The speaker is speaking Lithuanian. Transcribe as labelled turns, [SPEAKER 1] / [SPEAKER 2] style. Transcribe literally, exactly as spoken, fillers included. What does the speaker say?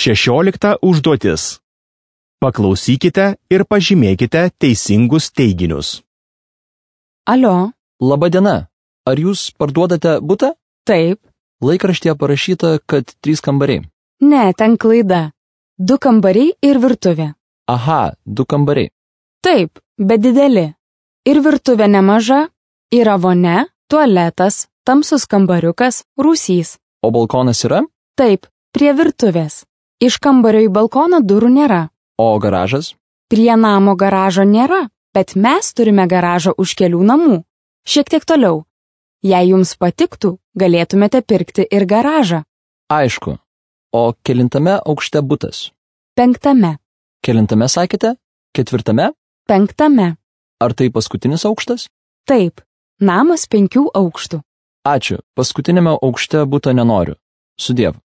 [SPEAKER 1] Šešiolikta užduotis. Paklausykite ir pažymėkite teisingus teiginius.
[SPEAKER 2] Alio,
[SPEAKER 3] Labą dieną. Ar jūs parduodate butą?
[SPEAKER 2] taip,
[SPEAKER 3] Laikraštyje parašyta, kad trys kambariai.
[SPEAKER 2] ne, ten klaida. Du kambariai ir virtuvė.
[SPEAKER 3] Aha, du kambariai.
[SPEAKER 2] Taip, bet dideli. Ir virtuvė nemaža, yra vonia, tualetas, tamsus kambariukas, rūsys.
[SPEAKER 3] O balkonas yra?
[SPEAKER 2] Taip, prie virtuvės. Iš kambario į balkoną durų nėra.
[SPEAKER 3] O garažas?
[SPEAKER 2] Prie namo garažo nėra, bet mes turime garažą už kelių namų. Šiek tiek toliau. Jei jums patiktų, galėtumėte pirkti ir garažą.
[SPEAKER 3] Aišku. O kelintame aukšte butas?
[SPEAKER 2] Penktame.
[SPEAKER 3] Kelintame sakėte? Ketvirtame?
[SPEAKER 2] Penktame.
[SPEAKER 3] Ar tai paskutinis aukštas?
[SPEAKER 2] Taip, namas penkių aukštų.
[SPEAKER 3] Ačiū. Paskutinėme aukšte buto nenoriu. Sudiev.